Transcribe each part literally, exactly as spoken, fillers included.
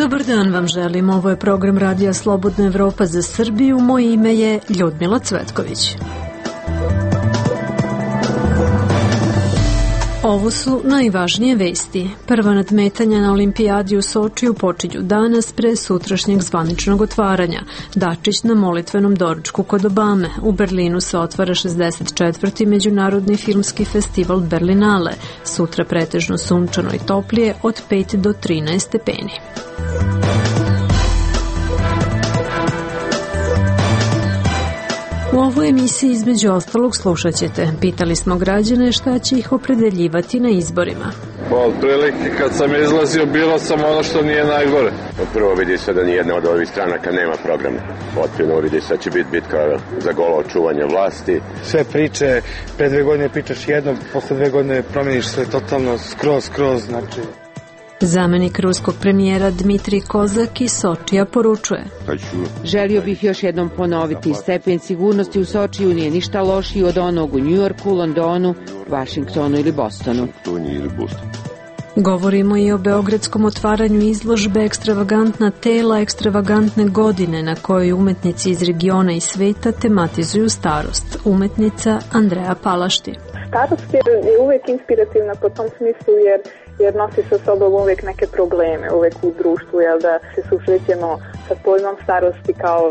Dobar dan vam želim, ovo je program Radija Slobodna Evropa za Srbiju, moje ime je Ljudmila Cvetković. Ovo su najvažnije vesti. Prva nadmetanja na olimpijadi u Sočiju počinju danas pre sutrašnjeg zvaničnog otvaranja. Dačić na molitvenom doručku kod Obame. U Berlinu se otvara šezdeset četvrti Međunarodni filmski festival Berlinale. Sutra pretežno sunčano i toplije od pet do trinaest stepeni. U ovoj emisiji između ostalog slušat ćete. Pitali smo građane šta će ih opredeljivati na izborima. Od prilike kad sam izlazio bilo sam ono što nije najgore. Prvo vidi se da nijedna od ovih stranaka nema programa. Otprilno vidi se da će biti bitka za golo očuvanje vlasti. Sve priče, pre dve godine pričaš jedno, posle dve godine promeniš sve totalno skroz, skroz, znači... Zamenik ruskog premijera Dmitrij Kozak iz Sočija poručuje: Želio bih još jednom ponoviti, stepen sigurnosti u Sočiju nije ništa lošiji od onog u Njujorku, Londonu, Vašingtonu ili Bostonu. Govorimo i o beogradskom otvaranju izložbe Ekstravagantna tela, ekstravagantne godine, na kojoj umetnici iz regiona i sveta tematizuju starost. Umetnica Andreja Palašti. Starost je uvek inspirativna po tom smislu jer jer nosi sa sobom uvek neke probleme, uvek u društvu, jel da se susrećemo sa pojmom starosti kao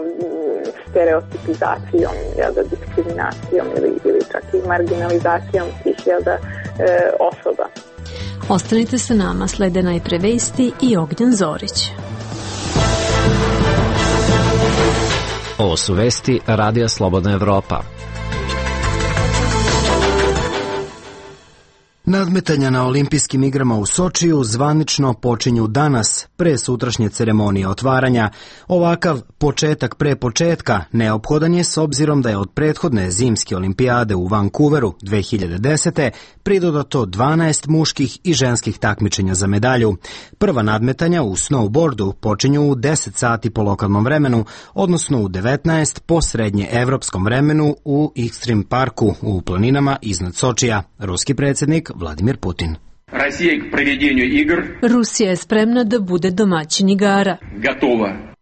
stereotipizacijom, jel da diskriminacijom ili, ili čak i marginalizacijom tih, jel da, e, osoba. Ostanite sa nama, slede najpre vesti i Ognjan Zorić. Ovo su vesti Radija Slobodna Evropa. Nadmetanja na olimpijskim igrama u Sočiju zvanično počinju danas, pre sutrašnje ceremonije otvaranja. Ovakav početak pre početka neophodan je s obzirom da je od prethodne zimske olimpijade u Vancouveru dve hiljade desete. pridodato dvanaest muških i ženskih takmičenja za medalju. Prva nadmetanja u snowboardu počinju u deset sati po lokalnom vremenu, odnosno u devetnaest po srednje evropskom vremenu u Extreme Parku u planinama iznad Sočija. Ruski predsjednik Vladimir Putin. Rusija je spremna da bude domaćin igara. Gotova.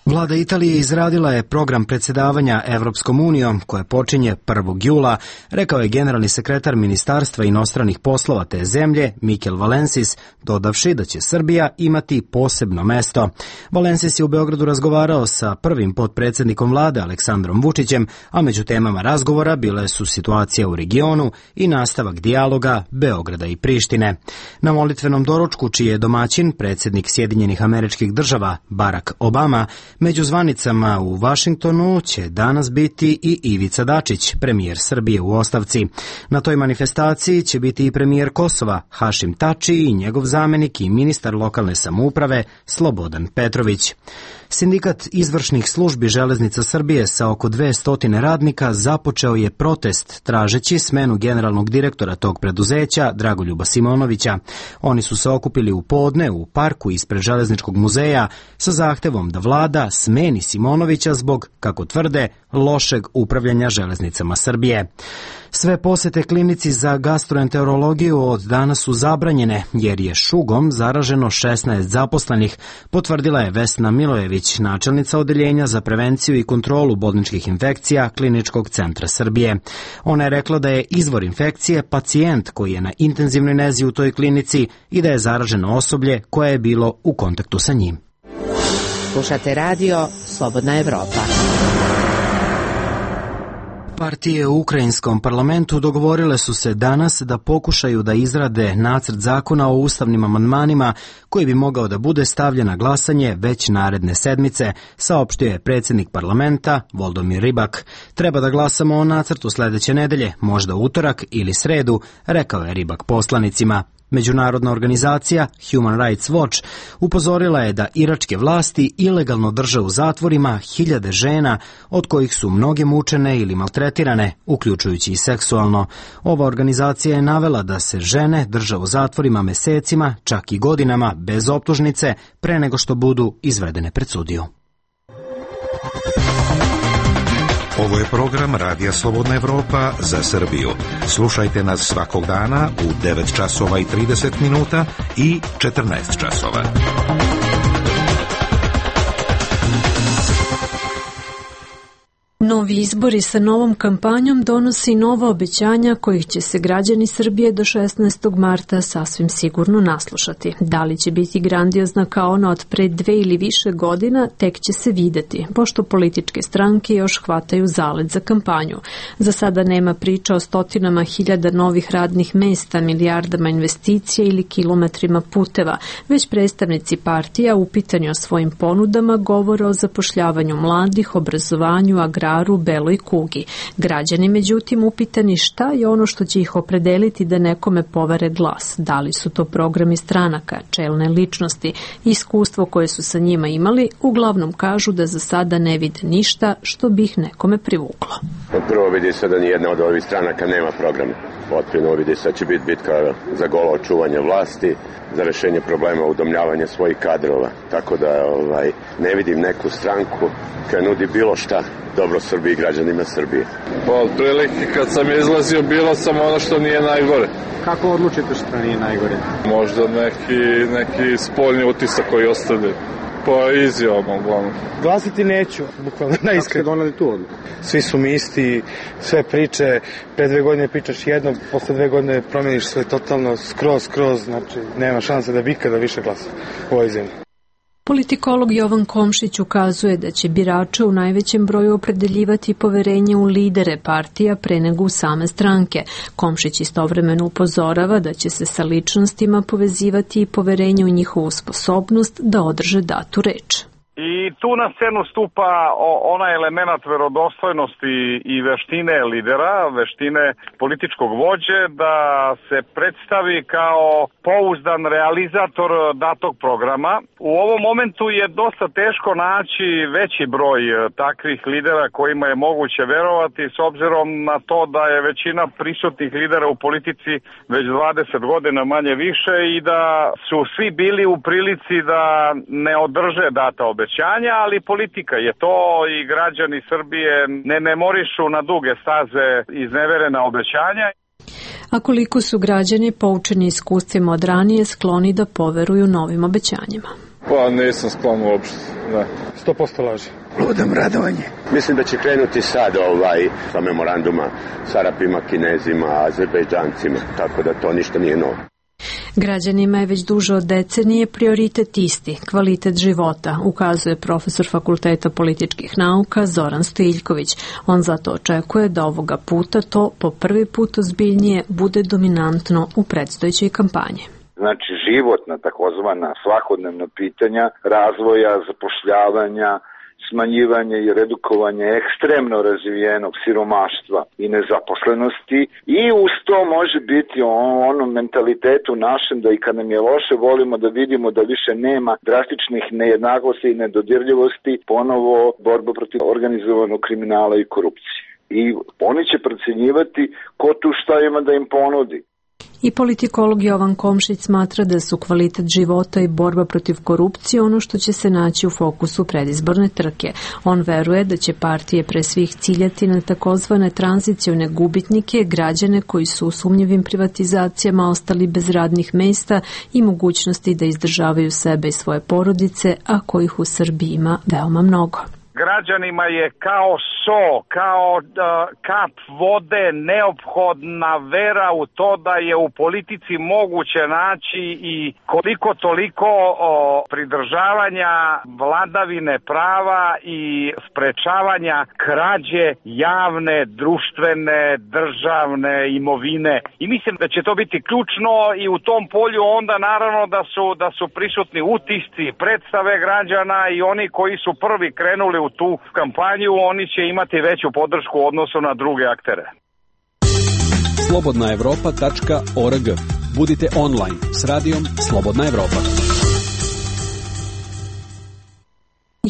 Vlada Italije izradila je program predsjedavanja Evropskom unijom koje počinje prvog jula, rekao je generalni sekretar Ministarstva inostranih poslova te zemlje Mikel Valensis, dodavši da će Srbija imati posebno mesto. Valensis je u Beogradu razgovarao sa prvim potpredsjednikom vlade Aleksandrom Vučićem, a među temama razgovora bile su situacija u regionu i nastavak dijaloga Beograda i Prištine. Na molitvenom doručku, čiji je domaćin predsjednik Sjedinjenih Američkih Država Barack Obama, među zvanicama u Vašingtonu će danas biti i Ivica Dačić, premijer Srbije u ostavci. Na toj manifestaciji će biti i premijer Kosova Hašim Tači i njegov zamenik i ministar lokalne samouprave Slobodan Petrović. Sindikat izvršnih službi Železnica Srbije sa oko dvesta radnika započeo je protest tražeći smenu generalnog direktora tog preduzeća Dragoljuba Simonovića. Oni su se okupili u podne u parku ispred Železničkog muzeja sa zahtevom da vlada smeni Simonovića zbog, kako tvrde, lošeg upravljanja železnicama Srbije. Sve posete klinici za gastroenterologiju od danas su zabranjene jer je šugom zaraženo šesnaest zaposlenih, potvrdila je Vesna Milojević, načelnica odeljenja za prevenciju i kontrolu bolničkih infekcija Kliničkog centra Srbije. Ona je rekla da je izvor infekcije pacijent koji je na intenzivnoj nezi u toj klinici i da je zaraženo osoblje koje je bilo u kontaktu sa njim. Slušate radio Slobodna Evropa. Partije u ukrajinskom parlamentu dogovorile su se danas da pokušaju da izrade nacrt zakona o ustavnim amandmanima koji bi mogao da bude stavljen na glasanje već naredne sedmice, saopštio je predsjednik parlamenta Voldomir Rybak. Treba da glasamo o nacrtu sledeće nedelje, možda utorak ili sredu, rekao je Rybak poslanicima. Međunarodna organizacija Human Rights Watch upozorila je da iračke vlasti ilegalno drže u zatvorima hiljade žena, od kojih su mnoge mučene ili maltretirane, uključujući i seksualno. Ova organizacija je navela da se žene drže u zatvorima mesecima, čak i godinama, bez optužnice, pre nego što budu izvedene pred sudiju. Ovo je program Radija Slobodna Evropa za Srbiju. Slušajte nas svakog dana u devet časova i trideset minuta i četrnaest časova. Novi izbori sa novom kampanjom donosi nova obećanja kojih će se građani Srbije do šesnaestog marta sasvim sigurno naslušati. Da li će biti grandiozna kao ona od pre dve ili više godina, tek će se videti, pošto političke stranke još hvataju zalet za kampanju. Za sada nema priča o stotinama hiljada novih radnih mesta, milijardama investicija ili kilometrima puteva, već predstavnici partija upitani o svojim ponudama govore o zapošljavanju mladih, obrazovanju, agraru, beloj kugi. Građani, međutim, upitani šta je ono što će ih opredeliti da nekome povere glas. Da li su to programi stranaka, čelne ličnosti, iskustvo koje su sa njima imali, uglavnom kažu da za sada ne vide ništa što bi ih nekome privuklo. Prvo vidi se da nijedna od ovih stranaka nema programa. Otprilno vidi se da će biti bitka za golo očuvanje vlasti, za rešenje problema udomljavanja svojih kadrova. Tako da ovaj, ne vidim neku stranku koja nudi bilo šta dobro Srbiji i građanima Srbije. Pa otprilike kad sam izlazio bilo sam ono što nije najgore. Kako odlučite što nije najgore? Možda neki, neki spoljni utisak koji ostavljaju. Pa izjavamo uglavnom. Glasiti neću, bukvalno najiskren. Kako ste doneli tu odluku? Svi su mi isti, sve priče, pre dve godine pričaš jedno, posle dve godine promeniš sve totalno, skroz, skroz, znači nema šanse da bi ikada više glasa u ovoj zemlji. Politikolog Jovan Komšić ukazuje da će birače u najvećem broju opredeljivati poverenje u lidere partija pre nego u same stranke. Komšić istovremeno upozorava da će se sa ličnostima povezivati i poverenje u njihovu sposobnost da održe datu reč. I tu na scenu stupa onaj element verodostojnosti i veštine lidera, veštine političkog vođe, da se predstavi kao pouzdan realizator datog programa. U ovom momentu je dosta teško naći veći broj takvih lidera kojima je moguće verovati, s obzirom na to da je većina prisutnih lidera u politici već dvadeset godina manje više i da su svi bili u prilici da ne održe data obećanja. Ali politika je to i građani Srbije ne memorišu na duge staze izneverena obećanja. A koliko su građani poučeni iskustvima od ranije skloni da poveruju novim obećanjima? Pa nisam sklon uopšte, ne. sto posto laži. Ludom radovanje. Mislim da će krenuti sad ovaj, sa memoranduma s Arapima, Kinezima, Azerbejdžancima, tako da to ništa nije novo. Građanima je već duže od decenije prioritet isti, kvalitet života, ukazuje profesor Fakulteta političkih nauka Zoran Stojiljković. On zato očekuje da ovoga puta to po prvi put ozbiljnije bude dominantno u predstojećoj kampanji. Znači životna takozvana svakodnevna pitanja razvoja, zapošljavanja, smanjivanje i redukovanje ekstremno razvijenog siromaštva i nezaposlenosti i uz to može biti on, onom mentalitetu našem da i kad nam je loše volimo da vidimo da više nema drastičnih nejednakosti i nedodirljivosti, ponovo borba protiv organizovanog kriminala i korupcije. I oni će procenjivati ko tu šta ima da im ponudi. I politikolog Jovan Komšić smatra da su kvalitet života i borba protiv korupcije ono što će se naći u fokusu predizborne trke. On veruje da će partije pre svih ciljati na takozvane tranzicione gubitnike, građane koji su u sumnjivim privatizacijama ostali bez radnih mesta i mogućnosti da izdržavaju sebe i svoje porodice, a kojih u Srbiji ima veoma mnogo. Građanima je kao so, kao uh, kap vode neophodna vera u to da je u politici moguće naći i koliko toliko o, pridržavanja vladavine prava i sprečavanja krađe javne, društvene, državne imovine. I mislim da će to biti ključno i u tom polju onda naravno da su, da su prisutni utisci, predstave građana i oni koji su prvi krenuli u tu kampanju, oni će imati veću podršku u odnosu na druge aktere. slobodna evropa tačka org. Budite online s radijom Slobodna Evropa.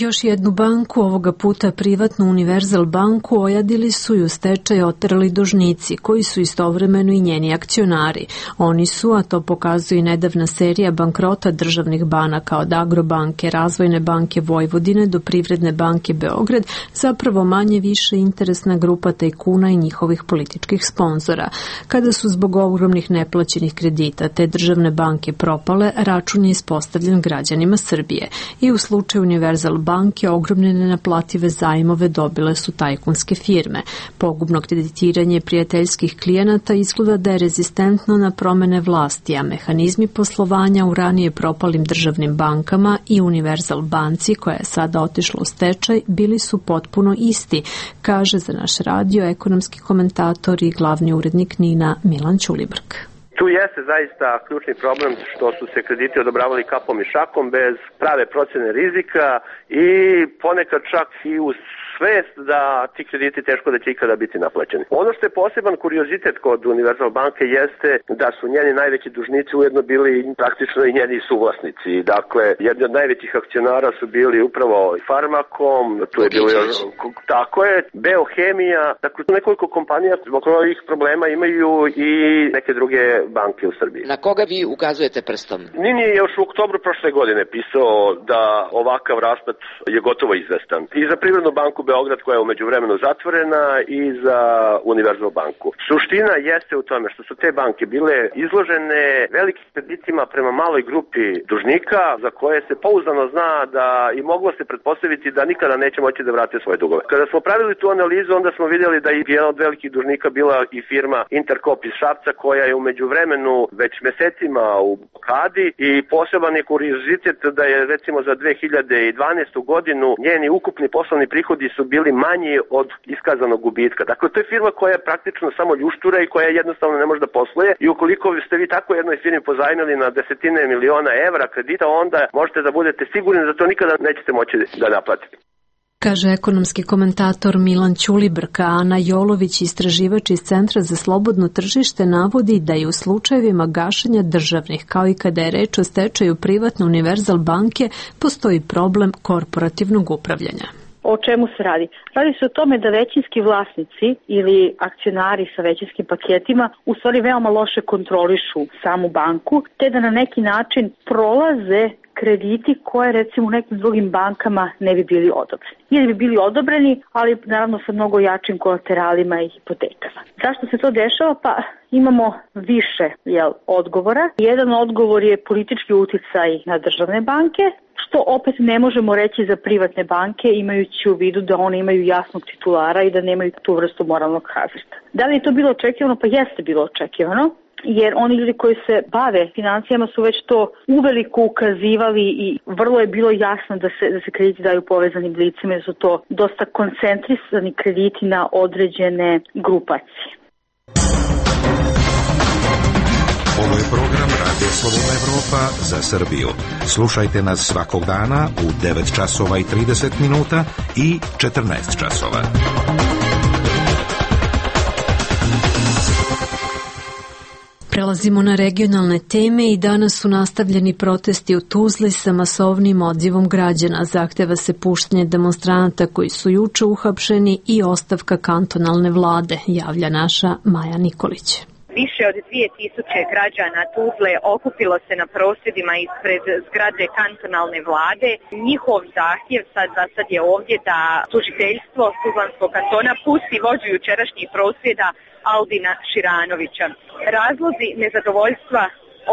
Još jednu banku, ovoga puta privatnu Univerzal banku, ojadili su i u stečaj oterali dužnici, koji su istovremeno i njeni akcionari. Oni su, a to pokazuje i nedavna serija bankrota državnih banaka od Agrobanke, Razvojne banke Vojvodine do Privredne banke Beograd, zapravo manje više interesna grupa tajkuna i njihovih političkih sponzora. Kada su zbog ogromnih neplaćenih kredita te državne banke propale, račun je ispostavljen građanima Srbije. I u slučaju Univerzal banke ogromne nenaplative zajmove dobile su tajkunske firme. Pogubno kreditiranje prijateljskih klijenata izgleda da je rezistentno na promene vlasti, a mehanizmi poslovanja u ranije propalim državnim bankama i Univerzal banci, koja je sada otišla u stečaj, bili su potpuno isti, kaže za naš radio ekonomski komentator i glavni urednik NIN-a Milan Ćulibrk. Tu jeste zaista ključni problem što su se krediti odobravali kapom i šakom bez prave procene rizika i ponekad čak i uz svest da ti krediti teško da će ikada biti naplaćeni. Ono što je poseban kuriozitet kod Univerzal banke jeste da su njeni najveći dužnici ujedno bili praktično i njeni suvlasnici. Dakle, jedni od najvećih akcionara su bili upravo Farmakom, tu je bilo tako je, Beohemija, dakle nekoliko kompanija zbog ovih problema imaju i neke druge banke u Srbiji. Na koga vi ukazujete prstom? NIN je još u oktobru prošle godine pisao da ovakav raspad je gotovo izvestan. I za Privrednu banku Beograd, koja je umeđu vremenu zatvorena, i za Univerzal banku. Suština jeste u tome što su te banke bile izložene velikim kreditima prema maloj grupi dužnika za koje se pouzdano zna da i moglo se pretpostaviti da nikada neće moći da vrate svoje dugove. Kada smo pravili tu analizu, onda smo vidjeli da je jedan od velikih dužnika bila i firma Interkop iz Šapca, koja je umeđu vremenu već mesecima u blokadi i poseban je kuriozitet da je recimo za dve hiljade dvanaestu godinu njeni ukupni poslovni prihodi su bili manji od iskazanog gubitka. Dakle, to je firma koja je praktično samo ljuštura i koja jednostavno ne može da posluje i ukoliko ste vi tako jednoj firmi pozajmili na desetine miliona evra kredita, onda možete da budete sigurni da to nikada nećete moći da naplatite. Kaže ekonomski komentator Milan Ćulibrk. Ana Jolović, istraživač iz Centra za slobodno tržište, navodi da je u slučajevima gašenja državnih, kao i kada je reč o stečaju privatne Univerzal banke, postoji problem korporativnog upravljanja. O čemu se radi? Radi se o tome da većinski vlasnici ili akcionari sa većinskim paketima u stvari veoma loše kontrolišu samu banku, te da na neki način prolaze krediti koje recimo u nekim drugim bankama ne bi bili odobreni. Ili bi bili odobreni, ali naravno sa mnogo jačim kolateralima i hipotekama. Zašto se to dešava? Pa imamo više jel, odgovora. Jedan odgovor je politički uticaj na državne banke, što opet ne možemo reći za privatne banke, imajući u vidu da one imaju jasnog titulara i da nemaju tu vrstu moralnog hazarda. Da li je to bilo očekivano? Pa jeste bilo očekivano, jer oni ljudi koji se bave financijama su već to uveliko ukazivali i vrlo je bilo jasno da se, da se krediti daju povezanim licima, da su to dosta koncentrisani krediti na određene grupacije. Ovo je program Radio Slobodna Evropa za Srbiju. Slušajte nas svakog dana u devet časova i trideset minuta i četrnaest časova. Prelazimo na regionalne teme i danas su nastavljeni protesti u Tuzli sa masovnim odzivom građana. Zahteva se puštanje demonstranata koji su juče uhapšeni i ostavka kantonalne vlade, javlja naša Maja Nikolić. Više od dvije tisuće građana Tuzle okupilo se na prosvjedima ispred zgrade kantonalne vlade. Njihov zahtjev sad za sad je ovdje da tužiteljstvo Tuzlanskog kantona pusti vođu jučerašnjih prosvjeda Albina Širanovića. Razlozi nezadovoljstva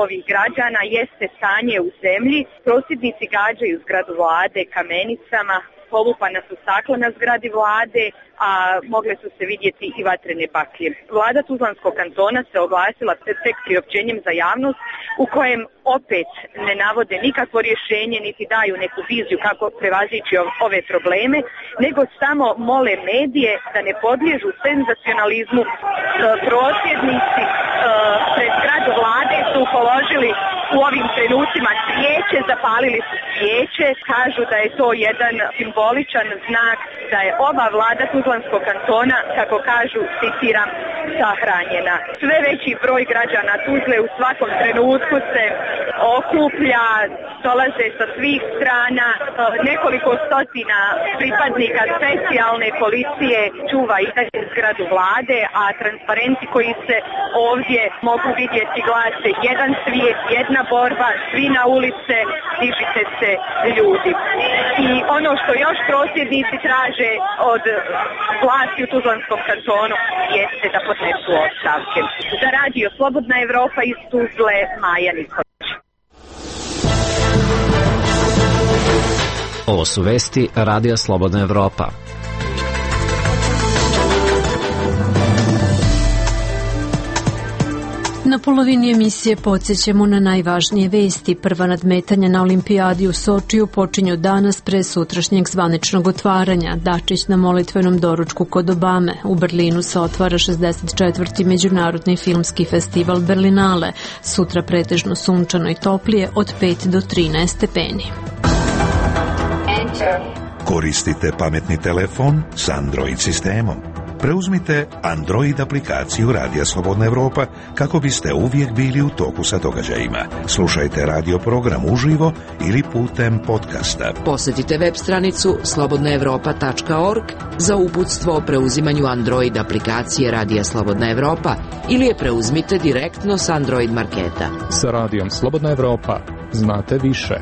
ovih građana jeste stanje u zemlji. Prosvjednici gađaju zgradu vlade kamenicama, polupana su stakla na zgradi vlade, a mogle su se vidjeti i vatrene baklje. Vlada Tuzlanskog kantona se oglasila tek priopćenjem za javnost u kojem opet ne navode nikakvo rješenje niti daju neku viziju kako prevazići ove probleme, nego samo mole medije da ne podliježu senzacionalizmu. Prosvjednici pred zgradu vlade su položili u ovim trenucima svijeće, zapalili su svijeće, kažu da je to jedan simboličan znak da je ova vlada Tuzlanskog kantona, kako kažu, citiram, sahranjena. Sve veći broj građana Tuzle u svakom trenutku se okuplja, dolaze sa svih strana, nekoliko stotina pripadnika specijalne policije čuva i dalje zgradu vlade, a transparenti koji se ovdje mogu vidjeti glase jedan svijet, jedna borba, svi na ulice, dižite se ljudi. I ono što još prosvjednici traže od vlasti u Tuzlanskom kantonu jeste da podnesu ostavke. Za radio Slobodna Evropa iz Tuzle, Maja Nikolić. Ovo su vesti Radija Slobodna Evropa. Na polovini emisije podsjećamo na najvažnije vesti. Prva nadmetanja na olimpijadi u Sočiju počinju danas pre sutrašnjeg zvaničnog otvaranja. Dačić na molitvenom doručku kod Obame. U Berlinu se otvara šezdeset četvrti Međunarodni filmski festival Berlinale. Sutra pretežno sunčano i toplije od pet do trinaest stepeni. Koristite pametni telefon s Android sistemom. Preuzmite Android aplikaciju Radija Slobodna Evropa kako biste uvijek bili u toku sa događajima. Slušajte radio program uživo ili putem podcasta. Posjetite web stranicu slobodna evropa tačka org za uputstvo o preuzimanju Android aplikacije Radija Slobodna Evropa ili je preuzmite direktno s Android marketa. Sa Radijom Slobodna Evropa znate više.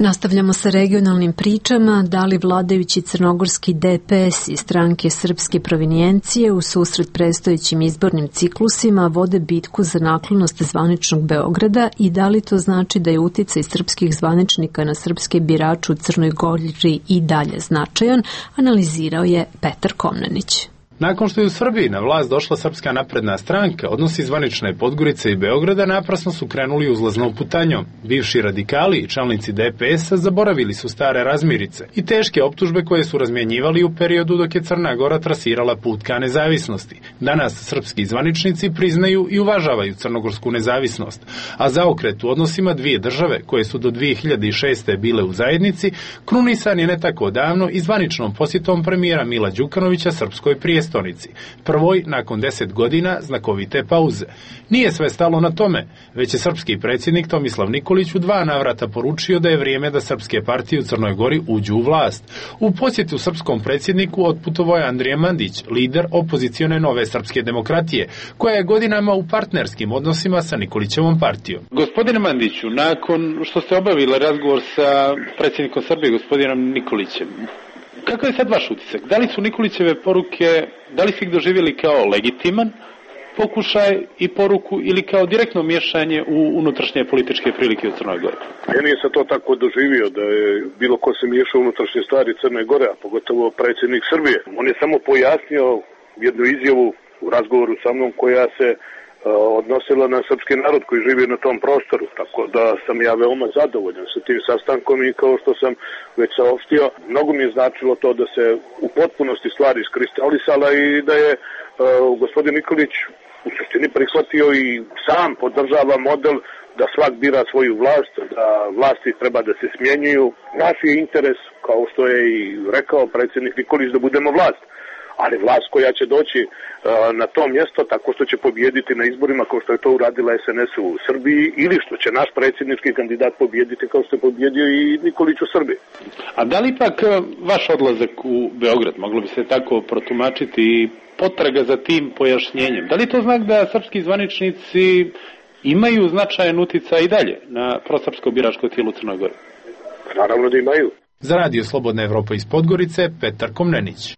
Nastavljamo sa regionalnim pričama. Da li vladajući crnogorski D P S i stranke srpske provinijencije u susret predstojećim izbornim ciklusima vode bitku za naklonost zvaničnog Beograda i da li to znači da je uticaj srpskih zvaničnika na srpske birače u Crnoj Gori i dalje značajan, analizirao je Petar Komnenić. Nakon što je u Srbiji na vlast došla Srpska napredna stranka, odnosi zvanične Podgorice i Beograda naprasno su krenuli uzlaznom putanjom. Bivši radikali i čelnici D P S-a zaboravili su stare razmirice i teške optužbe koje su razmjenjivali u periodu dok je Crna Gora trasirala put ka nezavisnosti. Danas srpski zvaničnici priznaju i uvažavaju crnogorsku nezavisnost, a zaokret u odnosima dvije države koje su do dve hiljade šeste. bile u zajednici, krunisan je ne tako davno i zvaničnom posjetom premijera Mila Đukanovića srpskoj prijestolnici. Prvoj nakon deset godina znakovite pauze. Nije sve stalo na tome, već je srpski predsjednik Tomislav Nikolić u dva navrata poručio da je vrijeme da srpske partije u Crnoj Gori uđu u vlast. U posjetu srpskom predsjedniku otputovao je Andrija Mandić, lider opozicione Nove srpske demokratije, koja je godinama u partnerskim odnosima sa Nikolićevom partijom. Gospodine Mandiću, nakon što ste obavili razgovor sa predsjednikom Srbije, gospodinom Nikolićem, kakav je sad vaš utisak? Da li su Nikolićeve poruke, da li ste ih doživjeli kao legitiman pokušaj i poruku ili kao direktno miješanje u unutrašnje političke prilike u Crnoj Gori? Ja nisam to tako doživio da je bilo ko se miješao u unutrašnje stvari Crne Gore, a pogotovo predsjednik Srbije. On je samo pojasnio jednu izjavu u razgovoru sa mnom koja se odnosila na srpski narod koji živi na tom prostoru, tako da sam ja veoma zadovoljan sa tim sastankom i kao što sam već saopštio, mnogo mi je značilo to da se u potpunosti stvari iskristalisala i da je uh, gospodin Nikolić u suštini prihvatio i sam podržava model da svak bira svoju vlast, da vlasti treba da se smjenjuju. Naš je interes, kao što je i rekao predsjednik Nikolić, da budemo vlast. Ali vlast koja će doći uh, na to mjesto tako što će pobijediti na izborima kao što je to uradila S N S u Srbiji ili što će naš predsjednički kandidat pobijediti kao što je pobjedio i Nikolić u Srbiji. A da li pak vaš odlazak u Beograd, moglo bi se tako protumačiti, i potraga za tim pojašnjenjem, da li to znak da srpski zvaničnici imaju značajan uticaj i dalje na prosrpsko biračko tijelo u Crnoj Gori? Naravno da imaju. Za Radio Slobodna Evropa iz Podgorice, Petar Komnenić.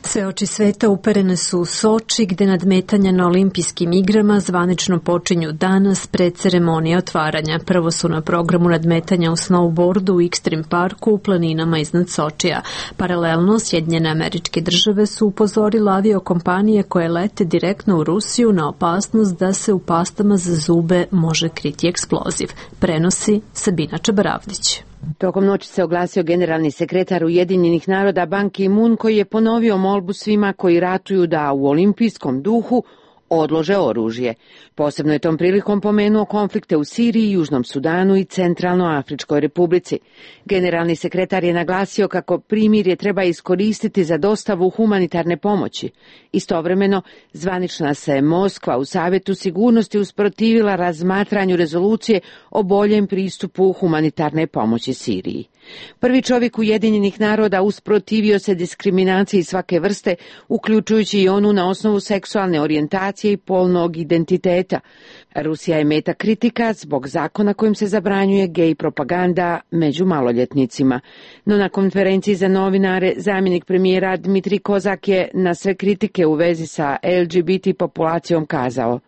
Sve oči sveta uperene su u Soči, gde nadmetanja na olimpijskim igrama zvanično počinju danas pred ceremonije otvaranja. Prvo su na programu nadmetanja u snowboardu u Extreme parku u planinama iznad Sočija. Paralelno, Sjedinjene Američke Države su upozorile aviokompanije koje lete direktno u Rusiju na opasnost da se u pastama za zube može kriti eksploziv. Prenosi Sabina Čabaravdić. Tokom noći se oglasio generalni sekretar Ujedinjenih naroda Ban Ki-moon koji je ponovio molbu svima koji ratuju da u olimpijskom duhu odlože oružje. Posebno je tom prilikom pomenuo konflikte u Siriji, Južnom Sudanu i Centralnoafričkoj republici. Generalni sekretar je naglasio kako primirje treba iskoristiti za dostavu humanitarne pomoći. Istovremeno, zvanična se Moskva u Savjetu sigurnosti usprotivila razmatranju rezolucije o boljem pristupu humanitarne pomoći Siriji. Prvi čovjek Ujedinjenih naroda usprotivio se diskriminaciji svake vrste, uključujući i onu na osnovu seksualne orijentacije i polnog identiteta. Rusija je meta kritika zbog zakona kojim se zabranjuje gej propaganda među maloljetnicima. No na konferenciji za novinare zamjenik premijera Dmitrij Kozak je na sve kritike u vezi sa L G B T populacijom kazao: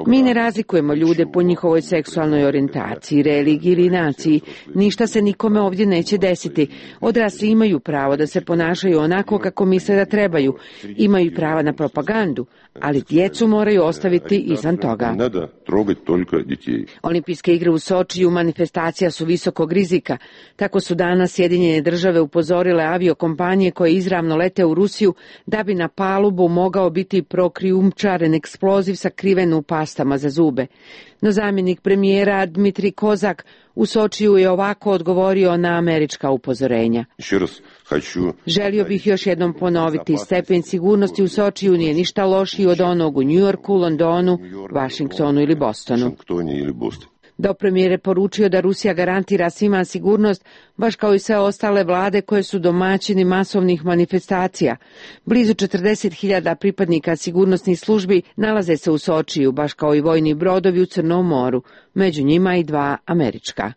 Mi ne razlikujemo ljude po njihovoj seksualnoj orijentaciji, religiji ili naciji. Ništa se nikome ovdje neće desiti. Odrasli imaju pravo da se ponašaju onako kako misle da trebaju. Imaju prava na propagandu, ali djecu moraju ostaviti izvan toga. Olimpijske igre u Sočiju manifestacija su visokog rizika. Tako su danas Sjedinjene države upozorile aviokompanije koje izravno lete u Rusiju da bi na palubu mogao biti prokrijumčaren eksploziv sakriven u pastama za zube. No zamjenik premijera Dmitrij Kozak u Sočiju je ovako odgovorio na američka upozorenja. Želio bih još jednom ponoviti, stepen sigurnosti u Sočiju nije ništa lošiji od onog u Njujorku, Londonu, Vašingtonu ili Bostonu. Do premijer je poručio da Rusija garantira svima sigurnost, baš kao i sve ostale vlade koje su domaćini masovnih manifestacija. Blizu četrdeset hiljada pripadnika sigurnosnih službi nalaze se u Sočiju, baš kao i vojni brodovi u Crnom moru, među njima i dva američka.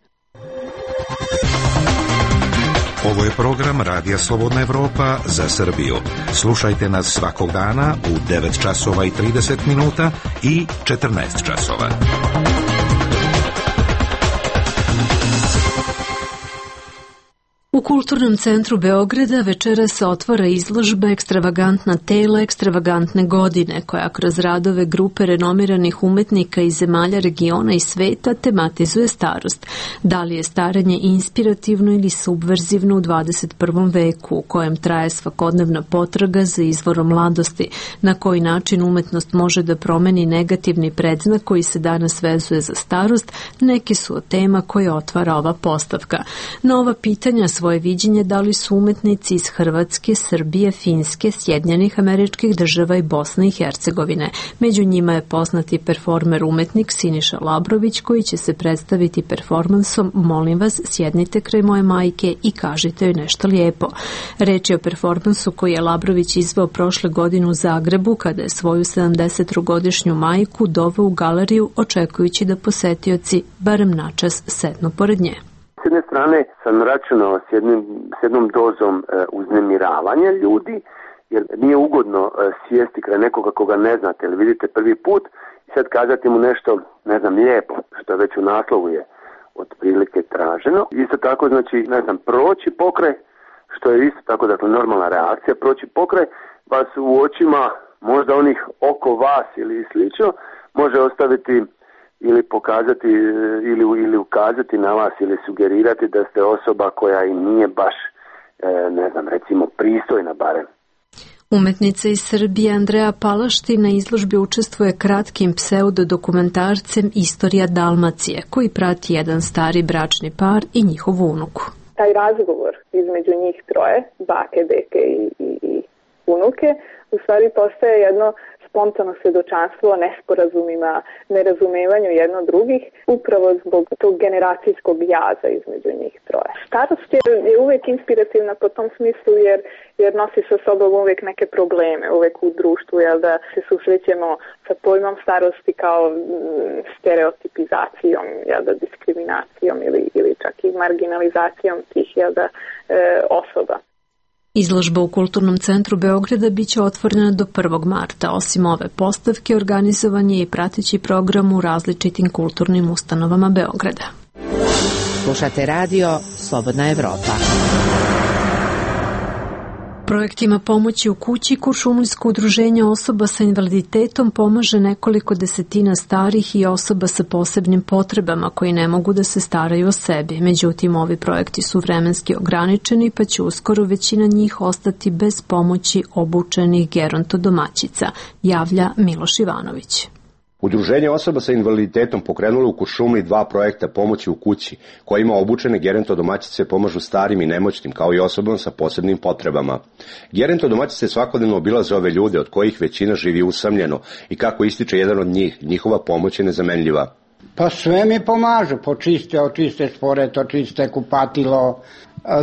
Ovo je program Radija Slobodna Evropa za Srbiju. Slušajte nas svakog dana u devet časova i trideset minuta i četrnaest časova. U Kulturnom centru Beograda večeras se otvara izložba Ekstravagantna tela ekstravagantne godine, koja kroz radove grupe renomiranih umetnika iz zemalja regiona i sveta tematizuje starost. Da li je starenje inspirativno ili subverzivno u dvadeset prvom veku, u kojem traje svakodnevna potraga za izvorom mladosti, na koji način umetnost može da promeni negativni predznak koji se danas vezuje za starost, neki su od tema koje otvara ova postavka. Na ova pitanja svoje viđenje dali su umetnici iz Hrvatske, Srbije, Finske, Sjedinjenih Američkih Država i Bosne i Hercegovine. Među njima je poznati performer umetnik Siniša Labrović, koji će se predstaviti performansom Molim vas, sjednite kraj moje majke i kažite joj nešto lijepo. Reč je o performansu koji je Labrović izveo prošle godine u Zagrebu, kada je svoju sedamdesettrogodišnju majku doveo u galeriju, očekujući da posetioci barem načas sednu pored nje. S jedne strane sam računao s, jednim, s jednom dozom e, uznemiravanja ljudi, jer nije ugodno e, sjesti kraj nekoga koga ne znate ili vidite prvi put i sad kazati mu nešto, ne znam, lijepo, što već u naslovu je otprilike traženo. Isto tako, znači, ne znam, proći pokraj, što je isto tako, dakle, normalna reakcija, proći pokraj vas u očima možda onih oko vas ili slično, može ostaviti ili pokazati ili, ili ukazati na vas ili sugerirati da ste osoba koja i nije baš, ne znam, recimo pristojna barem. Umetnica iz Srbije Andreja Palašti na izložbi učestvuje kratkim pseudodokumentarcem Istorija Dalmacije, koji prati jedan stari bračni par i njihovu unuku. Taj razgovor između njih troje, bake, deke i, i, i unuke, u stvari postaje jedno spontano svjedočanstvo o nesporazumima, nerazumevanju jedno drugih, upravo zbog tog generacijskog jaza između njih troje. Starost je, je uvijek inspirativna po tom smislu jer, jer nosi sa sobom uvijek neke probleme, uvijek u društvu, jel da se susrećemo sa pojmom starosti kao stereotipizacijom, jel da diskriminacijom ili, ili čak i marginalizacijom tih, jel da, e, osoba. Izložba u Kulturnom centru Beograda biće otvorena do prvog marta. Osim ove postavke, organizovan je i prateći program u različitim kulturnim ustanovama Beograda. Slušate radio Slobodna Evropa. Projektima pomoći u kući Kuršumlijsko udruženje osoba sa invaliditetom pomaže nekoliko desetina starih i osoba sa posebnim potrebama koji ne mogu da se staraju o sebi. Međutim, ovi projekti su vremenski ograničeni, pa će uskoro većina njih ostati bez pomoći obučenih gerontodomaćica, javlja Miloš Ivanović. Udruženje osoba sa invaliditetom pokrenulo u Kuršumliji dva projekta pomoći u kući, kojima obučene gerontodomaćice pomažu starim i nemoćnim, kao i osobama sa posebnim potrebama. Gerontodomaćice svakodnevno obilaze ove ljude, od kojih većina živi usamljeno, i kako ističe jedan od njih, njihova pomoć je nezamenljiva. Pa sve mi pomažu, počiste, očiste šporet, očiste kupatilo,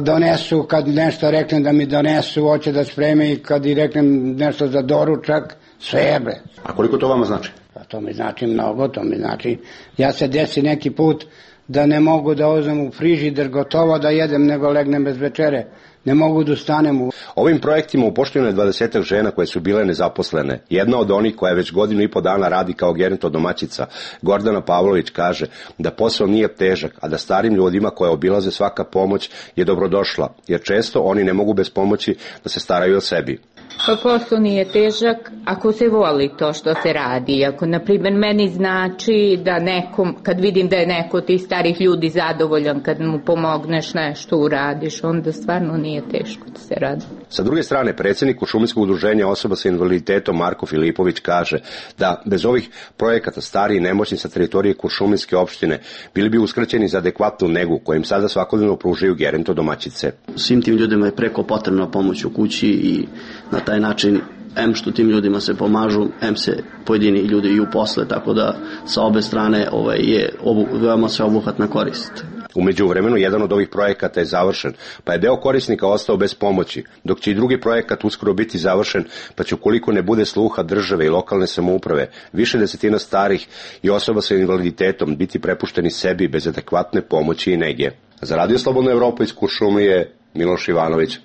donesu, kad nešto reknem da mi donesu, hoće da spreme, i kad i reknem nešto za doručak, sve je bre. A koliko to vama znači? Pa to mi znači mnogo, to mi znači, ja se desi neki put da ne mogu da uzmem u frižider gotovo da jedem, nego legnem bez večere. Ne mogu da ustanem u... Ovim projektima upošteno je dvadesetak žena koje su bile nezaposlene. Jedna od onih koja već godinu i po dana radi kao gerontodomaćica, Gordana Pavlović, kaže da posao nije težak, a da starim ljudima koje obilaze svaka pomoć je dobrodošla, jer često oni ne mogu bez pomoći da se staraju o sebi. Pa posao nije težak ako se voli to što se radi. Ako, na primjer, meni znači da nekom, kad vidim da je neko od tih starih ljudi zadovoljan, kad mu pomogneš nešto uradiš, onda stvarno nije teško da se radi. Sa druge strane, predsjednik Kuršumlijskog udruženja osoba sa invaliditetom Marko Filipović kaže da bez ovih projekata stari i nemoćni sa teritorije Kuršumlijske opštine bili bi uskraćeni za adekvatnu negu kojim sada svakodnevno pružaju gerontodomaćice. Svim tim ljudima je preko potrebna pomoć u kući i na taj način, em što tim ljudima se pomažu, em se pojedini ljudi i uposle, tako da sa obe strane ovaj, je obu, veoma sveobuhvatna korist. U međuvremenu, jedan od ovih projekata je završen, pa je deo korisnika ostao bez pomoći, dok će i drugi projekat uskoro biti završen, pa će, ukoliko ne bude sluha države i lokalne samouprave, više desetina starih i osoba sa invaliditetom biti prepušteni sebi bez adekvatne pomoći i nege. Za Radio Slobodna Evropa iz Kuršumlije, Miloš Ivanović.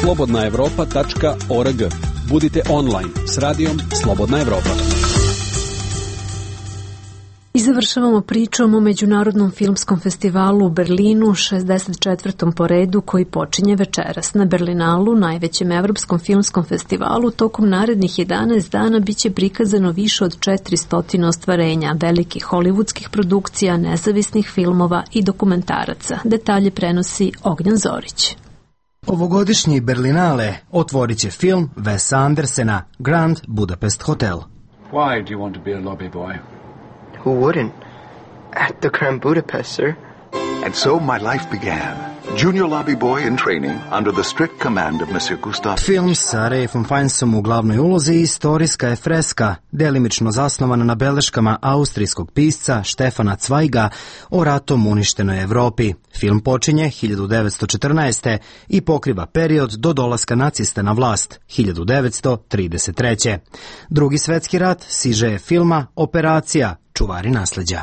slobodna evropa tačka org. Budite online s radijom Slobodna Evropa. I završavamo pričom o Međunarodnom filmskom festivalu u Berlinu, šezdeset četvrtom po redu, koji počinje večeras. Na Berlinalu, najvećem evropskom filmskom festivalu, tokom narednih jedanaest dana biće prikazano više od četiristo ostvarenja, velikih hollywoodskih produkcija, nezavisnih filmova i dokumentaraca. Detalje prenosi Ognjan Zorić. Ovogodišnji Berlinale otvorit će film Wesa Andersena, Grand Budapest Hotel. Why do you want to be a lobby boy? Who wouldn't? At the Grand Budapest, sir. And so my life began. Junior lobby boy in training under the strict command of Monsieur Gustave. Film sa Ralphom Fiennesom u glavnoj ulozi istorijska je freska, delimično zasnovana na beleškama austrijskog pisca Štefana Cvajga o ratom uništenoj Evropi. Film počinje hiljadu devetsto četrnaeste. i pokriva period do dolaska nacista na vlast hiljadu devetsto trideset treće. Drugi svetski rat siže je filma Operacija, čuvari nasleđa.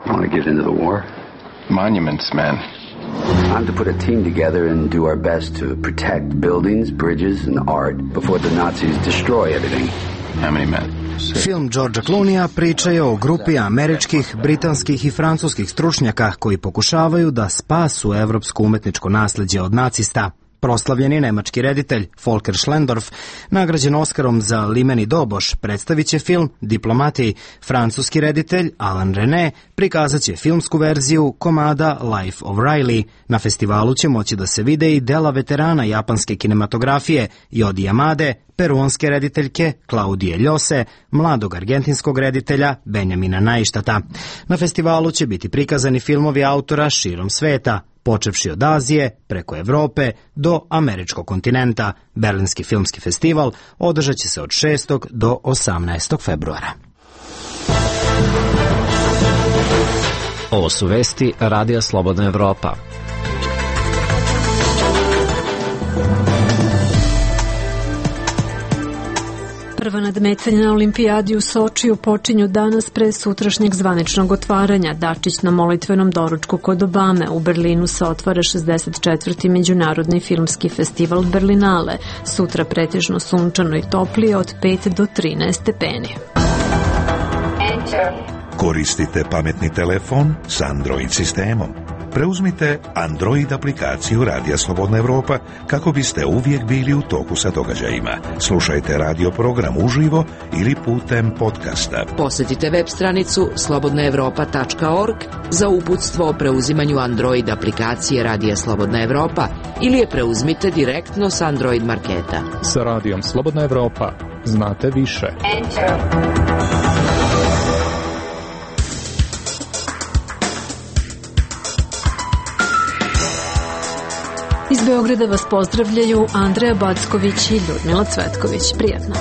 You want to get into the war? Monuments, man. I'm to put a team together and do our best to protect buildings, bridges, and art before the Nazis destroy everything. How many men? Film Georgea Clooneyja priča je o grupi američkih, britanskih i francuskih stručnjaka koji pokušavaju da spasu evropsko umetničko nasleđe od nacista. Proslavljeni nemački reditelj Volker Schlendorf, nagrađen Oskarom za Limeni doboš, predstavit će film Diplomati. Francuski reditelj Alain René prikazat će filmsku verziju komada Life of Riley. Na festivalu će moći da se vide i dela veterana japanske kinematografije Jodi Yamade, peruanske rediteljke Klaudije Ljose, mladog argentinskog reditelja Benjamina Najštata. Na festivalu će biti prikazani filmovi autora širom sveta, počevši od Azije, preko Evrope do američkog kontinenta. Berlinski filmski festival održat će se od šestog do osamnaestog februara. Ovo su vesti Radija Slobodna Evropa. Prva nadmetanja na Olimpijadi u Sočiju počinju danas pre sutrašnjeg zvaničnog otvaranja. Dačić na molitvenom doručku kod Obame. U Berlinu se otvara šezdeset četvrti Međunarodni filmski festival Berlinale. Sutra pretežno sunčano i toplije od pet do trinaest stepeni. Koristite pametni telefon s Android sistemom. preuzmite Android aplikaciju Radija Slobodna Evropa kako biste uvijek bili u toku sa događajima. Slušajte radio program uživo ili putem podcasta. Posjetite web stranicu slobodna evropa tačka org za uputstvo o preuzimanju Android aplikacije Radija Slobodna Evropa ili je preuzmite direktno s Android marketa. Sa Radijom Slobodna Evropa znate više. Enter. Iz Beograda vas pozdravljaju Andreja Backović i Ljudmila Cvetković. Prijatno.